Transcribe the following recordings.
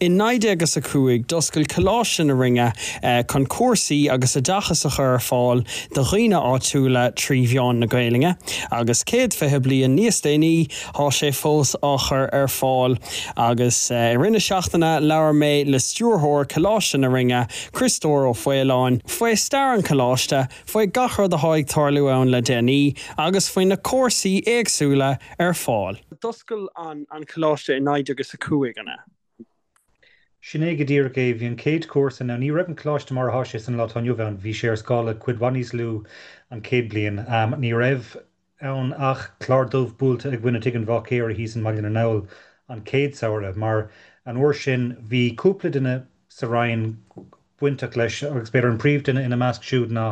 In 1905 d'oscail Coláiste na Rinne chun cúrsaí agus oideachas a chur ar fáil do dhaoine áitiúla trí mheán na Gaelainne agus 120 bliain níos déanaí thá sé fós á chur ar fáil agus i rith na seachtaine labhair mé le stiúrthóir Coláiste na Rinne, Criostóir Ó Faoláin, faoi stair an choláiste, faoi gach rud athá ag tarlú ann le déanaí agus faoi na cúrsaí éagsúla ar fáil. D'oscail an coláiste i 1905, an ea? Sin é go díreach é. Bhí an chéad chúrsa, now ní raibh an coláiste mar athá sé san lá atá inniu ann, bhí sé ar scála cuid mhaith níos lú an chéad bliain. Ní raibh ann ach clár dubh buailte i gcoinne tigh an bháicéara thíos i mBaile na nGall an chéad samhradh, mar an uair sin bhí cúpla duine sa Rinn bainteach leis agus b'fhéidir an príomhduine ina measc siúd ná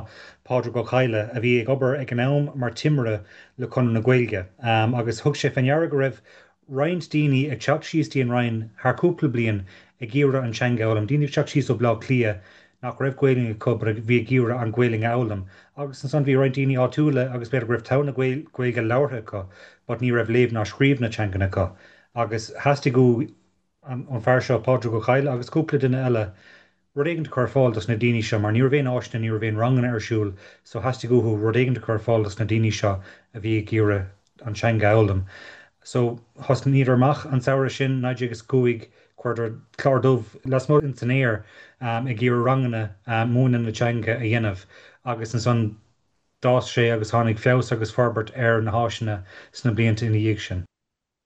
Pádraig Ó Cadhla a bhí ag obair ag an am mar timire le Conradh na Gaeilge agus thug sé fé ndeara go raibh roinnt daoine ag teacht síos dtí an Rinn thar cúpla bliain ag iarraidh an teanga a fhoghlaim, daoine ag teacht síos ó Bhleá Cliath nach raibh Gaelainn acu but a bhí ag iarraidh an Ghaelainn a fhoghlaim agus ansan bhí roinnt daoine áitiúla agus b'fhéidir go raibh togha na Gaeilge labhartha acu but ní raibh léamh ná scríobh na teangan acu agus theastaigh uaidh an fear seo, Pádraig Ó Cadhla, agus cúpla duine eile, rud éigint a chur ar fáil dos na daoine seo, mar ní raibh aon áiseanna, ní raibh aon ranganna ar siúl, so theastaigh uathu rud éigint a chur ar fáil dos na daoine seo a bhí ag iarraidh an teanga a fhoghlaim. So, thosnaíodar amach an samhradh sin, 1905, chuireadar clár dubh lasmuigh ins an aer ag iarraidh ranganna múineadh na teanga a dhéanamh agus ansan d'fhás sé agus tháinig feabhas agus forbairt ar na háiseanna sna blianta ina dhiaidh sin.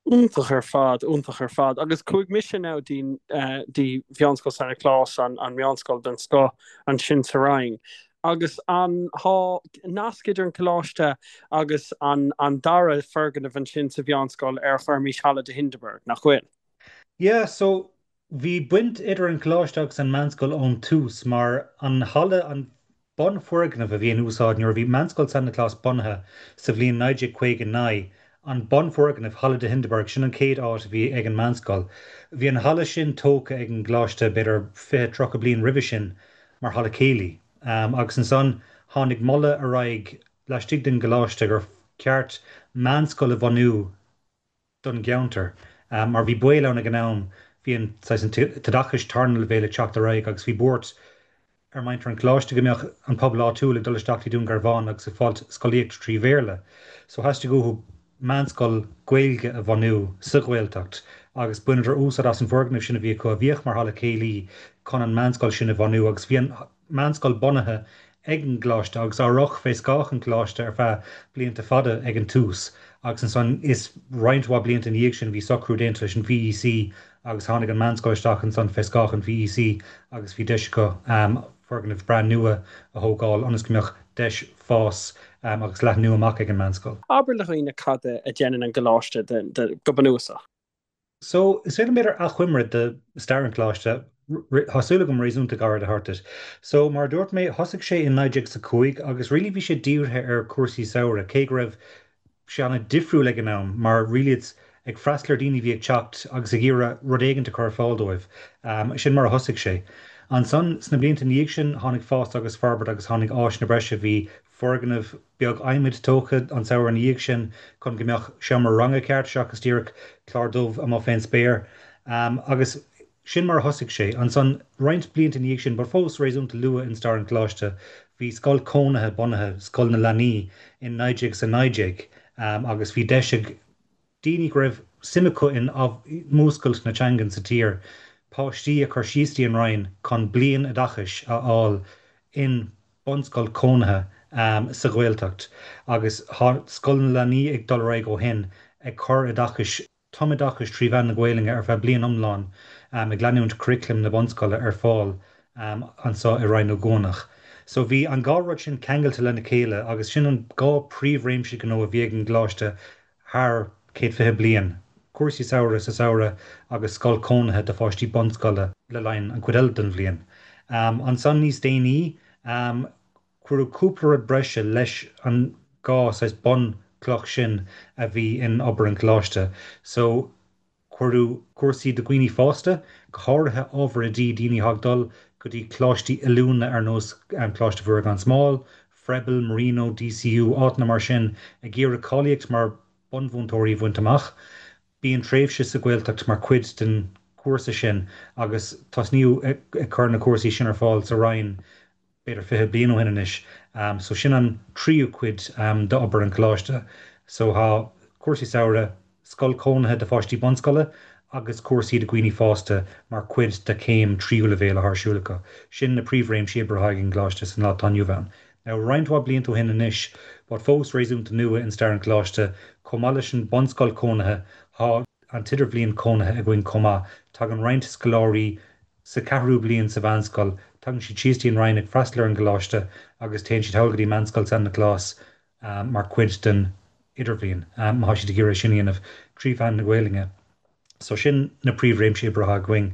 Iontach ar fad, iontach ar fad. Agus chuaigh mise now dtí dtí Mheánscoil San Nioclás, an an meánscoil den scoth ansin sa Rinn. Agus an thá nasc idir an coláiste agus an an dara foirgneamh ansin sa mheánscoil ar a gcuirmís Halla de Hindeberg, nach bhfuil? Yeah, so Bhí baint idir an coláiste agus an meánscoil ón tús mar an halla, an bunfhoirgneamh a bhí in úsáid nuair a bhí Meánscoil San Nioclás bunaithe sa bhliain 1959, an bunfhoirgneamh, Halla de Hindeberg, sin an chéad áit a bhí ag an meánscoil. Bhí an halla sin tógtha ag an gcoláiste b'fhéidir 20, 30 bliain roimhe sin mar halla céilí agus ansan tháinig moladh ar aghaidh laistigh den gcoláiste gur cheart meánscoil a bhunú don gceantar. Mar bhí baol ann ag an am, bhí an saghas an t-oideachais tarna leibhéal ag teacht ar aghaidh agus bhí buairt ar muintir an choláiste go mbeadh an pobal áitiúil ag dul isteach dtí Dún Garbhán agus ag fáilt scolaíocht trí Bhéarla. So theastaigh uathu meánscoil Gaeilge a bhunú sa Ghaeltacht agus bhaineadar úsáid as an bhfoirgneamh sin a bhí acu a bhíodh mar halla céilí chun an meánscoil sin a bhunú agus bhí an meánscoil bunaithe ag an gcoláiste agus á rith fé scáth an choláiste ar feadh blianta fada ag an tús agus ansan is roinnt mhaith blianta ina dhiaidh sin bhí socrú déanta leis an VEC agus tháinig an meánscoil isteach ansan fé scáth an VEC agus bhí deis acu foirgneamh breá nua a thógáil ionas go mbeadh deis fás agus leathnú amach ag an meánscoil. Abair le dhaoine cad a dhéanann an gcoláiste go bunúsach. So, is féidir liom b'fhéidir achoimre de stair an choláiste, tá súil agam réasúnta gairid a thabhairt duit. So, mar a dúirt mé, thosaigh sé in 1905 agus really bhí sé dírithe ar chúrsaí samhraidh, cé go raibh sé an-difriúil ag an am mar really it's ag freastal ar daoine a bhí ag teacht agus ag iarraidh rud éigint a chur ar fáil dóibh. Sin mar a thosaigh sé. Ansan, sna blianta ina dhiaidh sin, tháinig fás agus forbairt agus tháinig áiseanna breise, bhí foirgneamh beag adhmaid tógtha an samhradh ina dhiaidh sin chun go mbeadh seomra ranga ceart seachas díreach clár dubh amuigh fén spéir. Agus sin mar a thosaigh sé. Ansan, roinnt blianta ina dhiaidh sin, but fós réasúnta luath in stair an Choláiste, bhí scoil cónaithe bunaithe, Scoil na Leanaí, in 1919 agus bhí deis ag daoine go raibh suim acu in múscailt na teangan sa tír, páistí a chur síos dtí an Rinn chun bliain oideachais a fháil in bunscoil cónaithe sa Ghaeltacht agus tá Scoil na Leanaí ag dul ar aghaidh ó shin ag cur oideachais, tumoideachais trí mheán na Gaelainne ar feadh bliain iomlán ag leanúint curriculum na bunscoile ar fáil anseo i Rinn Ó gCuanach. So bhí an dhá rud sin ceangailte lena chéile agus sin an dhá príomhréimse gnó a bhí ag an gcoláiste thar 120 bliain, cúrsaí samhraidh sa samhradh agus scoil cónaithe do pháistí bunscoile le linn an chuid eile den bhliain. Ansan níos déanaí, cuireadh cúpla rud breise leis an dhá saghas bunchloch sin a bhí in obair an choláiste. So. Cuireadh cúrsaí do dhaoine fásta, go háirithe ábhar oidí, daoine atá ag dul go dtí coláistí oiliúna ar nós Coláiste Mhuire gan Smál, Froebel, Marino, DCU, áiteanna mar sin, ag iarraidh cáilíocht mar bunmhúinteoirí a bhaint amach. Bíonn tréimhse sa Ghaeltacht mar chuid den cúrsa sin agus tosnaíodh ag cur na cúrsaí sin ar fáil sa Rinn b'fhéidir 20 bliain ó shin anois. So sin an tríú cuid d'obair an Choláiste. So tá cúrsaí samhraidh, scoil cónaithe do pháistí bunscoile agus cúrsaí do dhaoine fásta mar chuid de chéim tríú leibhéal atá ar siúl acu. Sin na príomhréimsí oibre atá ag an gColáiste san lá atá inniu ann. Now roinnt mhaith blianta ó shin anois, but fós réasúnta nua in stair an Choláiste, chomh maith leis an bunscoil cónaithe, tá an t-idirbhliain cónaithe againn chomh maith. Tagann roinnt scoláirí sa cheathrú bliain sa mheánscoil, tagann siad síos dtí an Rinn ag freastal ar an gcoláiste agus téann siad thall go dtí Meánscoil San Nioclás mar chuid den idirbhliain, má tá siad ag iarraidh sin a dhéanamh trí mheán na Gaelainne. So sin na príomhréimsí oibre atá againn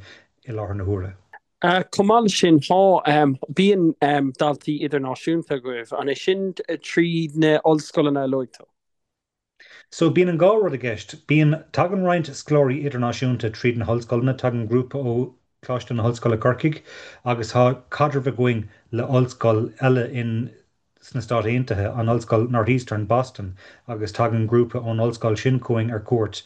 i láthair na huaire. Chomh maith leis sin, tá, bíonn daltaí idirnáisiúnta agaibh, an é sin trí na ollscoileanna a luaigh tú? So bíonn an dhá rud i gceist. Bíonn, tagann roinnt scoláirí idirnáisiúnta tríd na hollscoileanna, tagann grúpa ó Choláiste na hOllscoile Corcaigh agus tá caidreamh againn le ollscoil eile in sna Stáit Aontaithe, an Ollscoil Northeastern, Boston, agus tagann grúpa ón ollscoil sin chugainn ar cuairt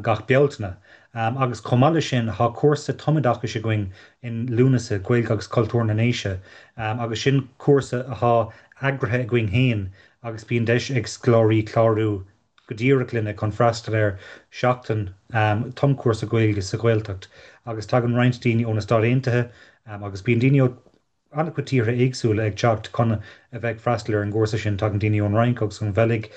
gach Bealtaine. Agus chomh maith leis sin, tá cúrsa tumoideachais againn in Lúnasa, Gaeilge agus Cultúr na nDéise, agus sin cúrsa atá eagraithe againn féin agus bíonn deis ag scoláirí clárú go díreach linne chun freastal ar sheachtain tumchúrsa Gaeilge sa Ghaeltacht agus tagann roinnt daoine ó na Stáit Aontaithe agus bíonn daoine ó an-chuid tíortha éagsúla ag teacht chun a bheith ag freastal ar an gcúrsa sin. Tagann daoine ón Fhrainc agus ón Bheilg.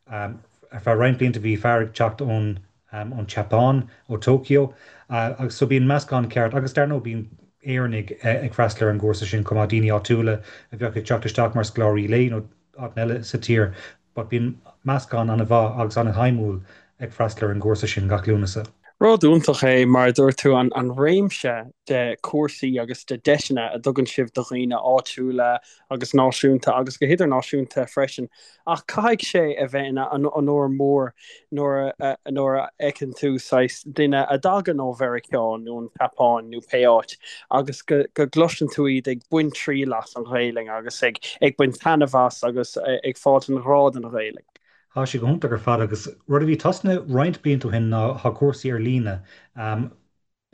Ar feadh roinnt blianta bhí fear ag teacht ón ón tSeapáin, ó Tokyo, agus so bíonn meascán ceart agus dar ndóigh bíonn Éireannaigh ag freastal ar an gcúrsa sin chomh maith, daoine áitiúla a bheadh ag teacht isteach mar scoláirí lae nó áiteanna eile sa tír but bíonn meascán an-mhaith agus an-shuimiúil ag freastal ar an gcúrsa sin gach Lúnasa. Rud iontach é, mar a dúirt tú, an réimse de chúrsaí agus de deiseanna a dtugann sibh do dhaoine áitiúla agus náisiúnta agus go hidirnáisiúnta freisin. Ach caithfidh sé a bheith ina onóir mór nuair a nuair a fheiceann tú saghas duine a dtagann ó Mheiriceá nó an tSeapáin nó pé áit agus go go gcloiseann tú iad ag baint triail as an Ghaelainn agus ag ag baint taitneamh as agus ag fáilt an ghrá don Ghaelainn. Tá sé go hiontach ar fad agus rud a bhí tosnaithe roinnt blianta ó shin ná tá cúrsaí ar líne.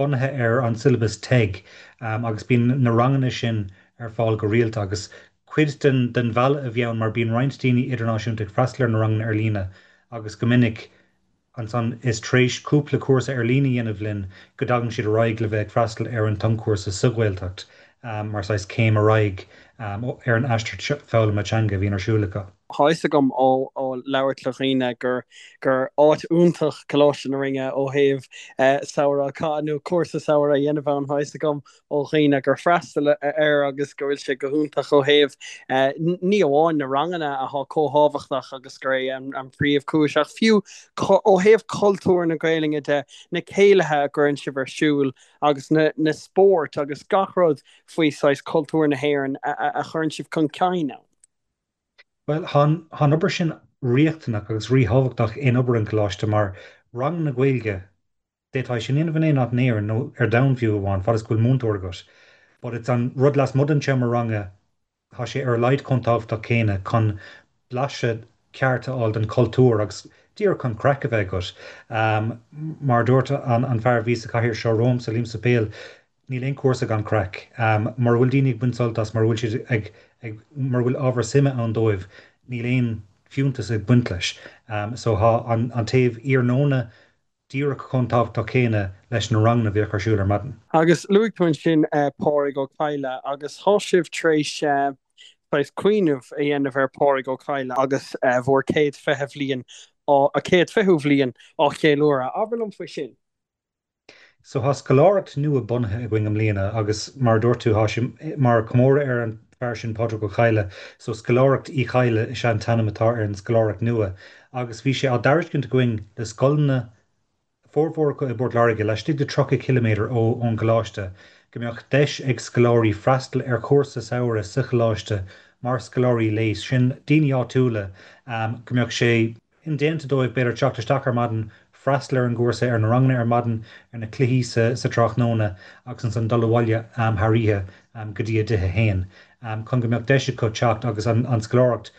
bunaithe ar an siollabas TEG agus bíonn na ranganna sin ar fáil go rialta agus cuid den den mhealladh a bhí ann mar bíonn roinnt daoine idirnáisiúnta ag freastal ar na ranganna ar líne agus go minic ansan is tar éis cúpla cúrsa ar líne a dhéanamh linn go dtagann siad ar aghaidh le bheith ag freastal ar an tumchúrsa sa Ghaeltacht mar saghas céim ar aghaidh ar an aistear foghlama teanga a bhíonn ar siúl acu. Tá fhios agam ó labhairt le dhaoine gur gur áit iontach Coláiste na Rinne ó thaobh samhradh a chaitheamh nó cúrsa samhraidh a dhéanamh ann. Tá fhios agam ó dhaoine gur freastal air agus go bhfuil sé go hiontach ó thaobh ní amháin na ranganna atá chomh thábhachtach agus gur é an príomhchúis ach fiú ó thaobh cultúr na Gaelainne de, na céilithe a gcuireann sibh ar siúl agus na na spóirt agus gach rud faoi saghas cultúr na hÉireann a chuireann sibh chun cinn ann. Bhuel, tá an obair sin riachtanach agus ríthábhachtach in obair an Choláiste mar ranganna Gaeilge, d'fhéadfá é sin a dhéanamh in aon áit in Éirinn nó ar domhan fiú amháin, fad is go bhfuil múinteoir agat. But it's an rud lasmuigh den tseomra ranga, tá sé ar a laghad chomh tábhachtach céanna chun blaiseadh ceart a fháil den chultúr agus díreach chun craic a bheith agat. Mar a dúirt an fear a bhí sa chathaoir seo romhamsa, Liam Suipéil, Níl aon chúrsa gan craic. Mura bhfuil daoine ag baint sult as, mura bhfuil siad ag, ag, mura bhfuil ábhar suime ann dóibh, níl aon fiúntas ag baint leis. So tá an, an taobh iarnóna díreach chomh tábhachtach céanna leis na ranganna a bhíodh ar siúl ar maidin. Agus luaigh tú ansin Pádraig Ó Cadhla agus tá sibh tar éis saghas cuimhneamh a dhéanamh ar Phádraig Ó Cadhla agus bhur 120 bhliain á, 120ú bhliain á cheiliúradh. Abair liom faoi sin. So tá scoláireacht nua bunaithe againn i mbliana agus mar a dúirt tú, tá sé mar chomóradh ar an bhfear sin Pádraig Ó Cadhla. So Scoláireacht Uí Chadhla is ea an t-ainm atá ar an scoláireacht nua agus bhí sé á dtairiscint againn le scoileanna, formhór acu i bPort Láirge, laistigh de 30 ciliméadar ó ón gcoláiste, go mbeadh deis ag scoláirí freastal ar chúrsa samhraidh sa choláiste mar scoláirí lae, sin daoine áitiúla, go mbeadh sé. indéanta dóibh, b'fhéidir, teacht isteach ar maidin, freastal ar an gcúrsa, ar na ranganna ar maidin, ar na cluichí sa tráthnóna agus ansan dul abhaile thar oíche go dtí a dtithe féin, chun go mbeadh deis acu teacht agus an scoláireacht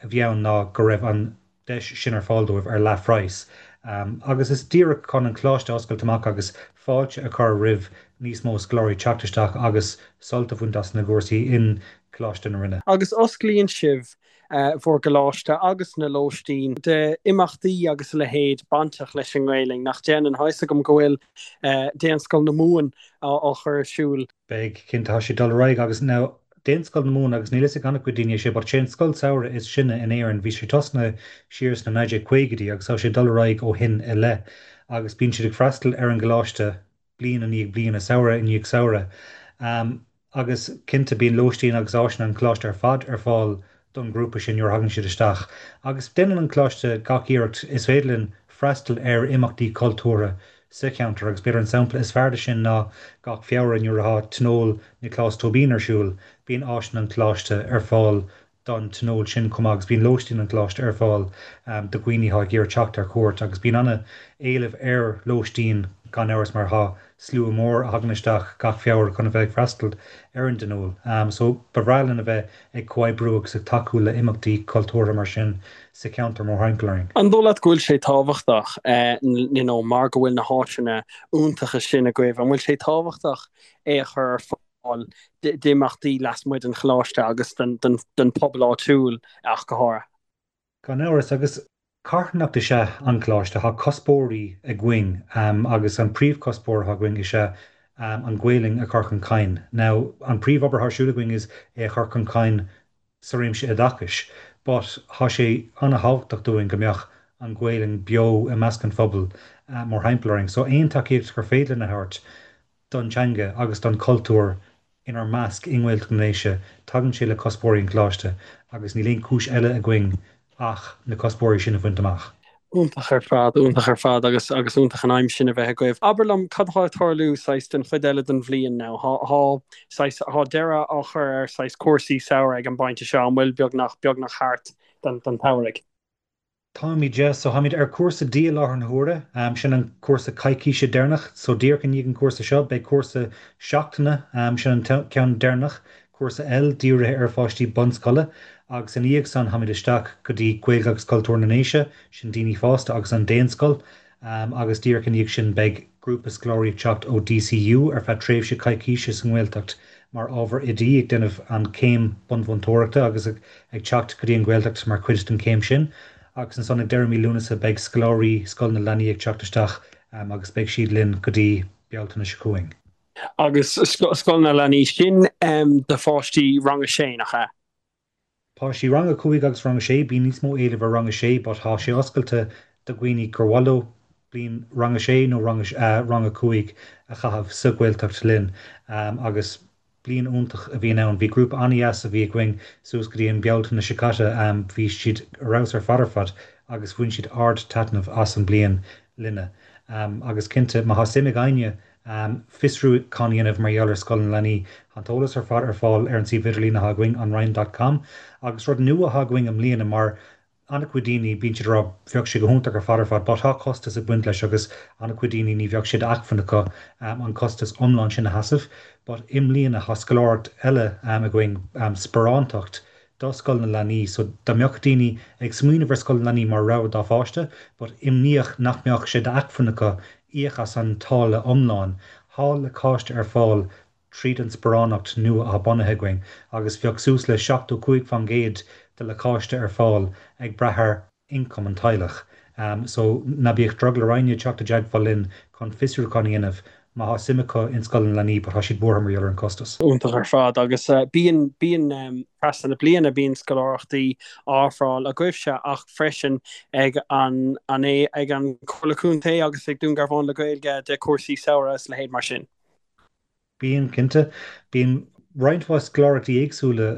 a bhí ann ná go raibh an deis sin ar fáil dóibh ar leathphraghas. Agus is díreach chun an Coláiste a oscailt amach agus fáilte a chur roimh níos mó scoláirí teacht isteach agus sult a bhaint as na gcúrsaí in Coláiste na Rinne. Agus osclaíonn sibh bhur gcoláiste agus na lóistín d'imeachtaí agus a leithéid bainteach leis an nGaelainn, nach ndéanann? Tá fhios agam go bhfuil Daonscoil na Mumhan á chur ar siúl. Beidh, cinnte, tá sé ag dul ar aghaidh agus now Daonscoil na Mumhan agus níl fhios ag an-chuid daoine é sé but sé an scoil samhraidh is sine in Éirinn, bhí sé tosnaithe siar sna 1950idí agus tá sé ag dul ar aghaidh ó shin i leith agus bíonn siad ag freastal ar an gcoláiste bliain i ndiaidh bliana, samhradh i ndiaidh samhradh. Agus cinnte bíonn lóistín agus áiseanna an choláiste ar fad ar fáil don ghrúpa sin nuair a thagann siad isteach. Agus déanann an coláiste gach iarracht is féidir linn freastal ar imeachtaí cultúrtha sa cheantar agus b'fhéidir an sampla is fearr de sin ná gach Feabhra nuair atá Tionól Nioclás Tóibín ar siúl, bíonn áiseanna an choláiste ar fáil don tionól sin chomh maith agus bíonn lóistín an choláiste ar fáil do dhaoine atá ag iarraidh teacht ar cuairt agus bíonn an-éileamh ar lóistín gan amhras mar tá slua mór a thagann isteach gach Feabhra chun a bheith ag freastal ar an dtionól. So ba bhreá linn a bheith ag comhoibriú agus ag tacú le imeachtaí cultúrtha mar sin sa cheantar mórthimpeall orainn. An dóigh leat go bhfuil sé tábhachtach, you know mar go bhfuil na háiseanna iontacha sin agaibh, an bhfuil sé tábhachtach é a chur ar fáil d'imeachtaí lasmuigh den choláiste agus don phobal áitiúil ach go háirithe. Gan amhras, agus carthanacht is ea an Coláiste. Tá cuspóirí againn agus an príomhchuspóir atá againn is ea an Ghaelainn a chur chun cinn. Now, an príomhobair atá ar siúl againn is é a chur chun cinn sa réimse oideachais but tá sé an-thábhachtach dúinn go mbeadh an Ghaelainn beo i measc an phobail mórthimpeall orainn. So aon tacaíocht gur féidir linn a thabhairt don teanga agus don chultúr inár measc i nGaeltacht na nDéise, tagann sé le cuspóirí an Choláiste agus níl aon chúis eile againn ach na cuspóirí sin a bhaint amach. Iontach ar fad, iontach ar fad agus agus iontach an aidhm sin a bheith agaibh. Abair liom cad atá ag tarlú saghas den chuid eile den bhliain now? Thá, thá saghas, thá deireadh á chur ar saghas cúrsaí samhraidh ag an bpointe seo, an bhfuil beagnach, beagnach thart don, don tsamhraidh? Táimid, yeah. So táimid ar cúrsa D i láthair na huaire. Sin an cúrsa coicíse deireanach. So díreach i ndiaidh an cúrsa seo, beidh cúrsa seachtaine, sin an ceann deireanach, cúrsa L, dírithe ar pháistí bunscoile. Agus ina dhiaidh san, táimid isteach go dtí Gaeilge agus Cultúr na nDéise, sin daoine fásta agus an Daonscoil. Agus díreach ina dhiaidh sin, beidh grúpa scoláirí ag teacht ó DCU ar feadh tréimhse coicíse sa nGaeltacht mar ábhar oidí, ag déanamh an chéim bunmhúinteoireachta agus ag teacht go dtí an Ghaeltacht mar chuid den chéim sin. Agus ansan ag deireadh mí Lúnasa beidh scoláirí Scoil na Leanaí ag teacht isteach agus beidh siad linn go dtí Bealtaine seo chugainn. Agus Scoil na Leanaí, sin do pháistí rang a sé, nach ea? Páistí rang a 5 agus rang a 6, bíonn níos mó éilimh ar rang a 6 but tá sé oscailte do dhaoine gur mhaith leo bliain rang a 6 nó rang rang a 5 a chaitheamh sa Ghaeltacht linn agus bliain iontach a bhíonn ann. Bhí grúpa an-dheas a bhí againn suas go dtí an Bealtaine seo caite, bhí siad ar fheabhas ar fad ar fad agus bhain siad ard-taitneamh as an bliain linne. Agus cinnte má tá suim ag éinne fiosrúchán a dhéanamh mar gheall ar Scoil na Leanaí. Tá an t-eolas ar fad ar fáil ar an suíomh idirlín atá againn, anrinn dot com. Agus rud nua atá againn i mbliana, mar an-chuid daoine, bíonn siad ag rá bheadh sé go hiontach ar fad ar fad, but tá costas ag baint leis agus an-chuid daoine ní bheadh sé d'acmhainn acu an costas iomlán sin a sheasamh. But i mbliana tá scoláireacht eile againn, sparántacht do Scoil na Leanaí. So dá mbeadh daoine ag smaoineamh ar Scoil na Leanaí mar rogha dá pháiste, but imníoch nach mbeadh sé d'acmhainn acu íoc as an táille iomlán, thá lacáiste ar fáil tríd an sparánacht nua athá bunaithe againn agus bheadh suas le 75% de lacáiste ar fáil ag brath ar ioncam an teaghlach. So ná bíodh drogall ar éinne teacht i dteagmháil linn chun fiosrúchán a dhéanamh má thá suim acu in Scoil na Leanaí but thá siad buartha mar gheall ar an costas. Iontach ar fad agus bíonn, bíonn trasna na bliana bíonn scoláireachtaí á ofráil agaibhse ach freisin ag an, an é, ag an Comhairle Contae agus ag Dún Garbhán le Gaeilge de chúrsaí samhraidh is leithéid mar sin. Bíonn, cinnte. Bíonn roinnt mhaith scoláireachtaí éagsúla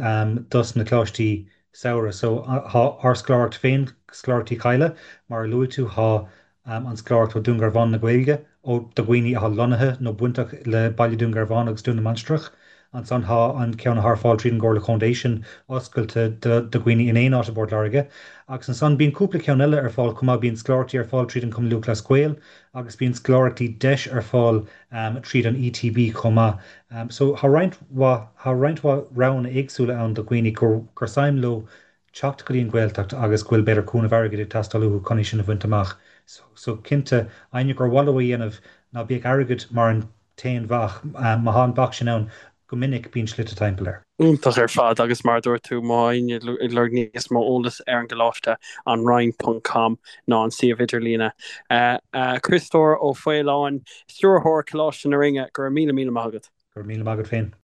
dos na coláistí samhraidh. So, thá ár scoláireacht féin, Scoláireacht Uí Chadhla, mar a luaigh tú, thá an scoláireacht ó Dún Garbhán na Gaeilge, ó do dhaoine athá lonnaithe nó bainteach le Baile Dún Garbhán agus Dún na Mainistreach. Ansan thá an ceann athá ar fáil tríd an gComhairle Chontae, sin oscailte do dhaoine in aon áit i bPort Láirge. Agus ansan bíonn cúpla ceann eile ar fáil chomh maith, bíonn scoláireachtaí ar fáil tríd an Cumann Lúthchleas Gael agus bíonn scoláireachtaí deis ar fáil tríd an ETB chomh maith. So thá roinnt mhaith, thá roinnt mhaith roghanna éagsúla ann do dhaoine gur gur suim leo teacht go dtí an Ghaeltacht agus go bhfuil b'fhéidir cúnamh airgid ag teastáil uathu chun é sin a bhaint amach. So cinnte, éinne gur mhaith leo a dhéanamh, ná bíodh airgead mar an t-aon bhac. Má thá an bac sin ann, go minic bíonn slite timpeall air. Iontach ar fad agus mar a dúirt tú, má tá éinne ag lorg níos mó eolas ar an gcoláiste, anrinn ponc com ná an suíomh idirlíne. Criostóir Ó Faoláin, Stiúrthóir Coláiste na Rinne, go raibh míle míle maith agat. Go raibh míle maith agat féin.